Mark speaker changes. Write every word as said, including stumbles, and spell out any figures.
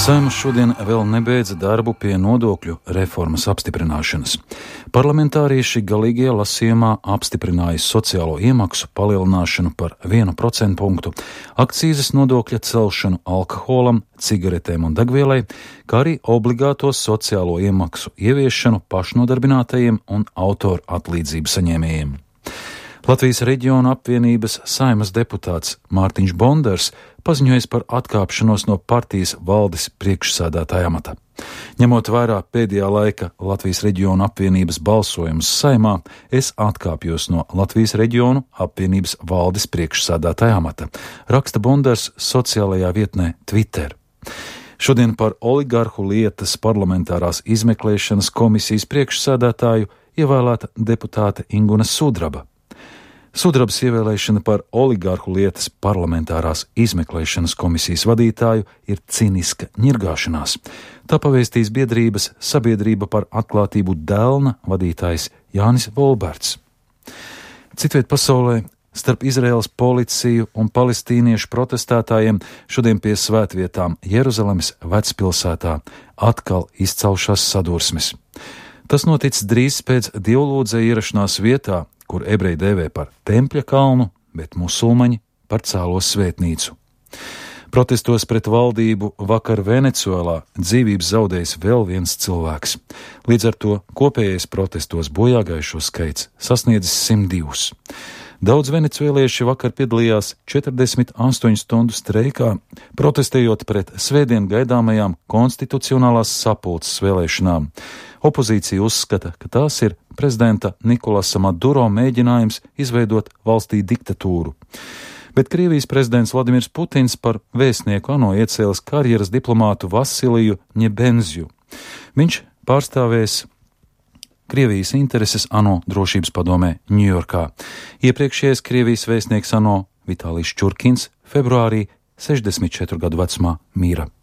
Speaker 1: Saeima šodien vēl nebeidza darbu pie nodokļu reformas apstiprināšanas. Parlamentārieši galīgajā lasījumā apstiprināja sociālo iemaksu palielināšanu par vienu procentu punktu, akcīzes nodokļa celšanu alkoholam, cigaretēm un degvielai, kā arī obligāto sociālo iemaksu ieviešanu pašnodarbinātajiem un autoru atlīdzību saņēmējiem. Latvijas reģiona apvienības Saeimas deputāts Mārtiņš Bondars paziņojis par atkāpšanos no partijas valdes priekšsēdētāja amata. Ņemot vērā pēdējā laika Latvijas reģiona apvienības balsojumus Saeimā, es atkāpjos no Latvijas reģionu apvienības valdes priekšsēdētāja amata, raksta Bondars sociālajā vietnē Twitter. Šodien par oligarhu lietas parlamentārās izmeklēšanas komisijas priekšsēdētāju ievēlēta deputāte Inguna Sudraba. Sudrabas ievēlēšana par oligarhu lietas parlamentārās izmeklēšanas komisijas vadītāju ir ciniska ņirgāšanās. Tā pavēstīs biedrības Sabiedrība par atklātību Delna vadītājs Jānis Volberts. Citviet pasaulē starp Izraēlas policiju un palestīniešu protestētājiem šodien pie svētvietām Jeruzalemes vecpilsētā atkal izcelšās sadursmes. Tas noticis drīz pēc dievlūdzēja ierašanās vietā, kur ebreji dēvē par Tempļa kalnu, bet musulmaņi par Cēlos svētnīcu. Protestos pret valdību vakar Venecuēlā dzīvības zaudējis vēl viens cilvēks. Līdz ar to kopējais protestos bojāgājušo skaits sasniedzis simt divus. Daudz venecuēlieši vakar piedalījās četrdesmit astoņu stundu streikā, protestējot pret svētdien gaidāmajām konstitucionālās sapulces vēlēšanām. Opozīcija uzskata, ka tās ir prezidenta Nikolasa Maduro mēģinājums izveidot valstī diktatūru. Bet Krievijas prezidents Vladimirs Putins par vēstnieku ANO iecēlis karjeras diplomātu Vasiliju Ņebenzju. Viņš pārstāvēs Krievijas intereses ANO drošības padomē Ņujorkā. Iepriekšējais Krievijas vēstnieks ANO Vitālijs Čurkins februārī sešdesmit četru gadu vecumā mīra.